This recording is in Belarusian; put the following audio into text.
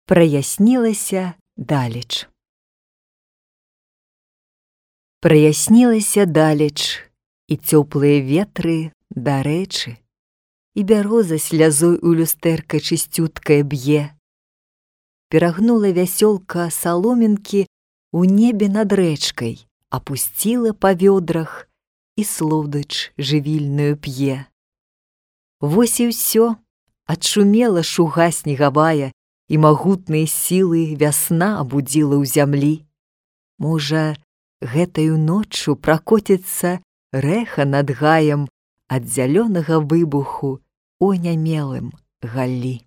Праяснілася далеч. Праяснілася далеч, і цёплыя ветры дарэчы, і бяроза слязой у люстэрка чысцюткае б'е. Перагнула вясёлка саломінкі у небе над рэчкай, апусціла па вёдрах і слодыч жывільную п'е. Вось і ўсё, адшумела шуга снегавая, і магутныя сілы вясна абудзіла ў зямлі. Можа, гэтаю ноччу пракоціцца рэха над гаем ад зялёнага выбуху у анямелым галлі.